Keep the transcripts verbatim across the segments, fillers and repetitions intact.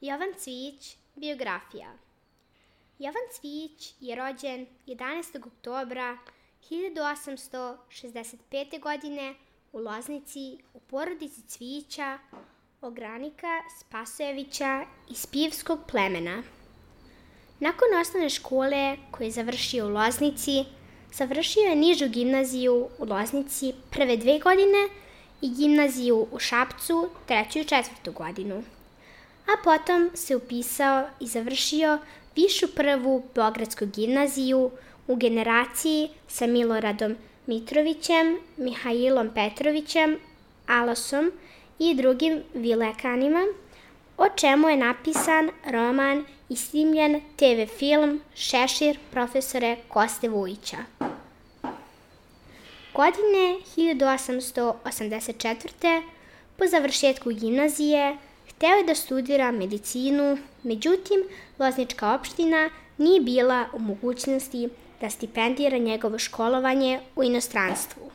Jovan Cvijić, biografija. Jovan Cvijić je rođen jedanaestog oktobra hiljadu osamsto šezdeset pete. godine u Loznici u porodici Cvijića, ogranika Spasojevića iz pivskog plemena. Nakon osnovne škole koju je završio u Loznici, završio je nižu gimnaziju u Loznici prve dve godine i gimnaziju u Šapcu treću i četvrtu godinu. A potom se upisao i završio višu prvu Beogradsku gimnaziju u generaciji sa Miloradom Mitrovićem, Mihajlom Petrovićem, Alasom i drugim vilekanima, o čemu je napisan roman i snimljen te ve film Šešir profesore Koste Vujića. Godine hiljadu osamsto osamdeset četvrte. po završetku gimnazije hteo je da studira medicinu, međutim, Loznička opština nije bila u mogućnosti da stipendira njegovo školovanje u inostranstvu.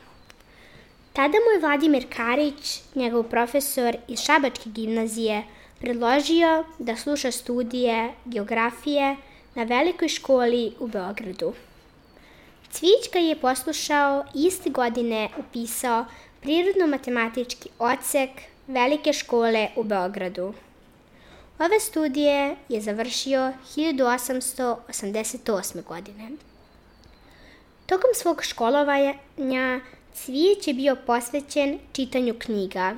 Tada mu je Vladimir Karić, njegov profesor iz Šabačke gimnazije, predložio da sluša studije geografije na velikoj školi u Beogradu. Cvijić ga je poslušao i iste godine upisao prirodno-matematički odsek Velike škole u Beogradu. Ove studije je završio hiljadu osamsto osamdeset osme. godine. Tokom svog školovanja Cvijić je bio posvećen čitanju knjiga.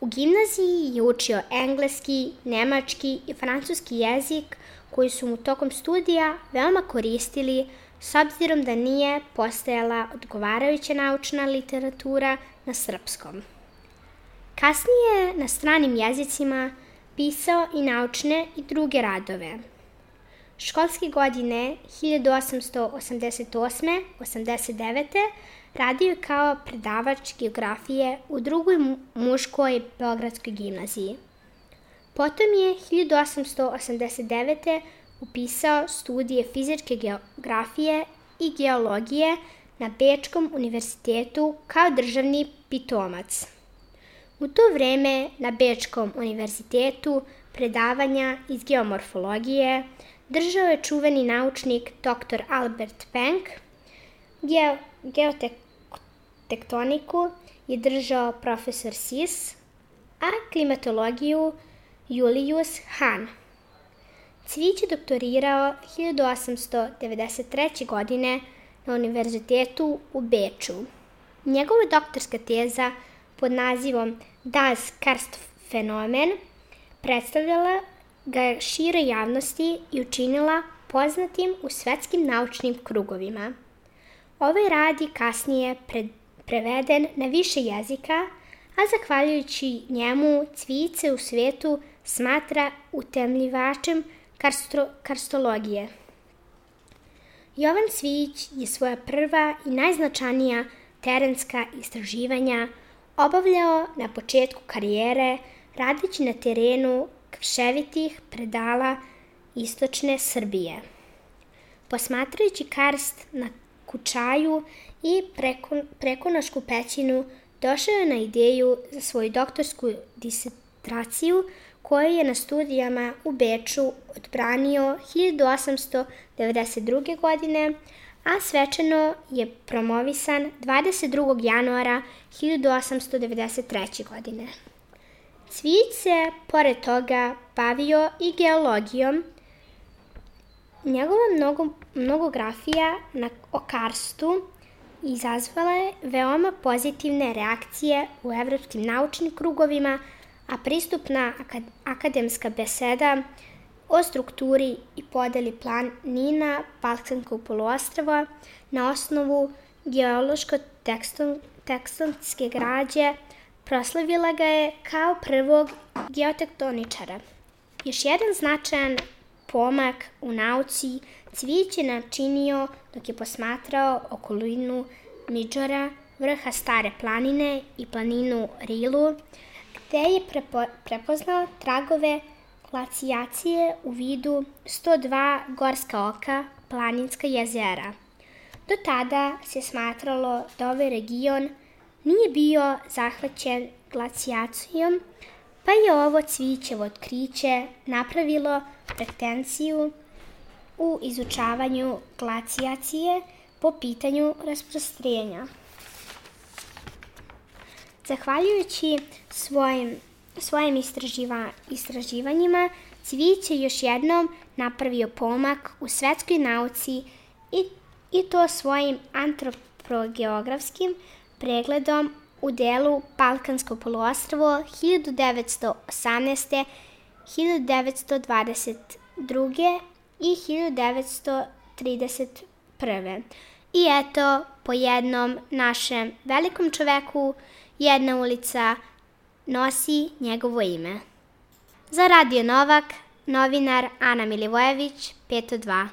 U gimnaziji je učio engleski, nemački i francuski jezik koji su mu tokom studija veoma koristili s obzirom da nije postojala odgovarajuća naučna literatura na srpskom. Kasnije na stranim jezicima pisao i naučne i druge radove. Školske godine hiljadu osamsto osamdeset osme. osamdeset devete. radio je kao predavač geografije u drugoj muškoj Beogradskoj gimnaziji. Potom je hiljadu osamsto osamdeset devete. upisao studije fizičke geografije i geologije na Bečkom univerzitetu kao državni pitomac. U to vreme na Bečkom univerzitetu predavanja iz geomorfologije držao je čuveni naučnik doktor Albert Penck, Geo, geotektoniku je držao profesor Sis, a klimatologiju Julius Hahn. Cvijić je doktorirao hiljadu osamsto devedeset treće. godine na univerzitetu u Beču. Njegova doktorska teza pod nazivom Das Karstfenomen predstavljala ga je široj javnosti i učinila poznatim u svetskim naučnim krugovima. Ovaj rad je kasnije pre, preveden na više jezika, a zahvaljujući njemu Cvijić se u svetu smatra utemljivačem karstro, karstologije. Jovan Cvijić je svoja prva i najznačajnija terenska istraživanja obavljao na početku karijere radeći na terenu krševitih predala istočne Srbije. Posmatrajući karst na Kučaju i preko, Prekonošku pećinu, došao je na ideju za svoju doktorsku disertaciju koju je na studijama u Beču odbranio hiljadu osamsto devedeset druge. godine, a svečano je promovisan dvadeset drugog januara hiljadu osamsto devedeset treće. godine. Cvijić se, pored toga, bavio i geologijom. Njegova mnogo, mnogografija na, o karstu izazvala je veoma pozitivne reakcije u evropskim naučnim krugovima, a pristupna akad, akademska beseda o strukturi i podeli planina Balkanskog poluostrva na osnovu geološko-tektonske građe proslavila ga je kao prvog geotektoničara. Još jedan značajan pomak u nauci Cvijić je načinio dok je posmatrao okolinu Midžora, vrha Stare planine i planinu Rilu, gde je prepo, prepoznao tragove glacijacije u vidu sto dva gorska oka, planinska jezera. Do tada se smatralo da ovaj region nije bio zahvaćen glacijacijom, pa je ovo Cvijićevo otkriće napravilo pretenciju u izučavanju glacijacije po pitanju rasprostrenja. Zahvaljujući svojim, svojim istraživa, istraživanjima, Cvijić je još jednom napravio pomak u svetskoj nauci i, i to svojim antropogeografskim pregledom u delu Balkansko poluostrvo hiljadu devetsto osamnaeste. hiljadu devetsto dvadeset druge. i hiljadu devetsto trideset prve. I eto, po jednom našem velikom čoveku, jedna ulica nosi njegovo ime. Za Radio Novak, novinar Ana Milivojević, pet dva.